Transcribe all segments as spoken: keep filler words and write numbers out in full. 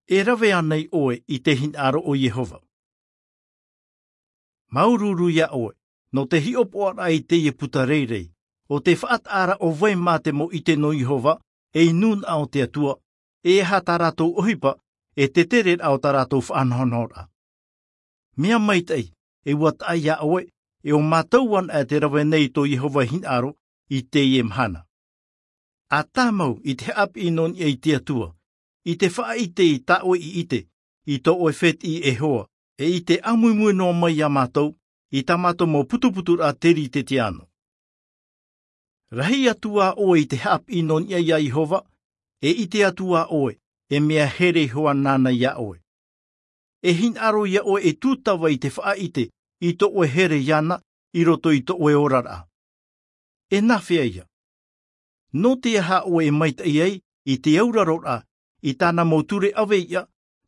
E rave anei ʻoe i te hinaʻaro o Iehova? Māuruuru iā ʻoe, nō te hiʻopoʻaraʻa i teie puta rairai, ʻo te faʻataʻaraʻa o vai mā te mau ʻite nō Iehova, ei nūnaʻa o te Atua, e aha tā rātou ʻohipa, e te tereraʻa o tā rātou faʻanahonahoraʻa. Mea maitaʻi, e ʻua taʻa iā ʻoe, e ʻo mātou anaʻe te rave nei tō Iehova hinaʻaro i teie mahana. ʻA tāmau i te haʻapiʻi nō niʻa i te Atua, i te faʻaʻite i tā ʻoe i ʻite, i tō ʻoe fētiʻi e hoa, e i te ʻāmuimui noa mai iā mātou, i tā mātou mau putuputuraʻa teritetia anō. Rahi atu ā ʻoe i te haʻapiʻi nō niʻa iā Iehova, e ʻite atu ā ʻoe, e mea here iho ā nāna iā ʻoe. E hinaʻaro iā ʻoe e tūtava i te faʻaʻite i tō ʻoe here iāna i roto i tō ʻoe oraraʻa. E nāfea ïa? Nō te aha ʻoe e maitaʻi ai i te auraroraʻa i tāna mau ture ʻave iʻa,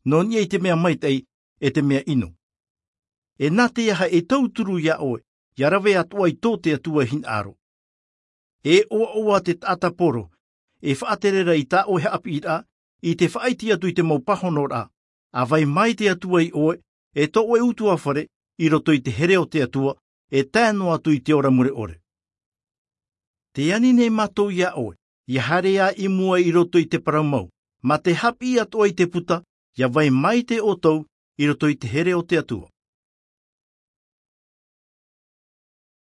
nō niʻa i te mea maitaʻi e te mea ʻino? E nā te aha e tauturu iā ʻoe ʻia rave atoʻa i tō te Atua hinaʻaro? E ʻoaʻoa te taʻata poro e faʻatere ra i tā ʻoe haʻapiʻiraʻa, i te faʻaʻite atu i te mau pāhonoraʻa, ʻa vai mai te Atua iā ʻoe, e tō ʻoe ʻutuāfare, i roto i te here o te Atua, e tae noa atu i te ora mure ʻore. Tē ani nei mātou iā ʻoe ʻia haere ā i mua i roto i te parau mau, mā te haʻapiʻi atoʻa i te puta, ʻia vai maitaʻi ʻoutou i roto i te here o te Atua.